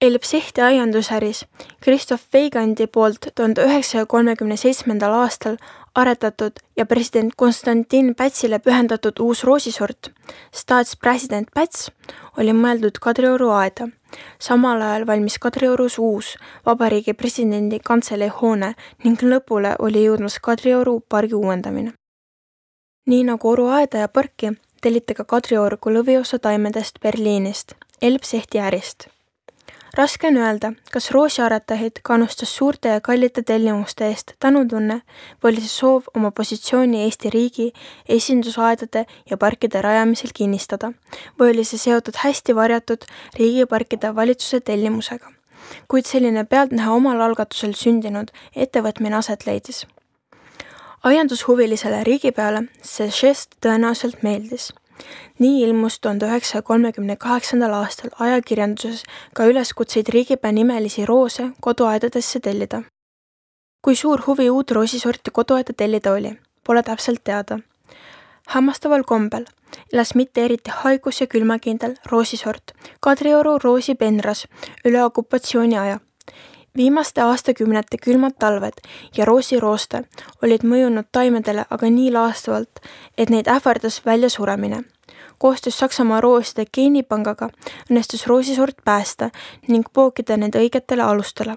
Elbsehti aiandusäris Christoph Weigandi poolt 1937. aastal aretatud ja president Konstantin Pätsile pühendatud uus roosisort, staatspresident Päts, oli mõeldud Kadrioru aeda. Samal ajal valmis Kadriorus uus vabariigi presidendi kantselei hoone ning lõpule oli jõudmas Kadrioru pargi uuendamine. Nii nagu Oru aeda ja parki telliti ka Kadrioru kui lõviosa taimedest Berliinist, Elbsehti ärist. Raske on öelda, kas roosiaretajaid kannustas suurte ja kallite tellimuste eest tänutunne või oli see soov oma positsiooni Eesti riigi esindusaedade ja parkide rajamisel kinnistada või oli see seotud hästi varjatud riigiparkide valitsuse tellimusega, kuid selline pealtnäha omal algatusel sündinud ettevõtmine aset leidis. Aiandushuvilisele riigipeale see žest tõenäoliselt meeldis. Nii ilmus 1938. aastal ajakirjanduses ka üleskutseid riigipea nimelisi roose koduaedadesse tellida. Kui suur huvi uut roosisorti koduaeda tellida oli, pole täpselt teada. Hämmastaval kombel elas mitte eriti haigus- ja külmakindel roosisort Kadrioru roosipenras üle okupatsiooni aja. Viimaste aastakümnete külmad talved ja roosirooste olid mõjunud taimedele aga nii laastavalt, et neid ähvardas väljasuremine. Koostöös Saksamaa rooside geenipangaga õnnestus roosisort päästa ning pookida need õigetele alustele.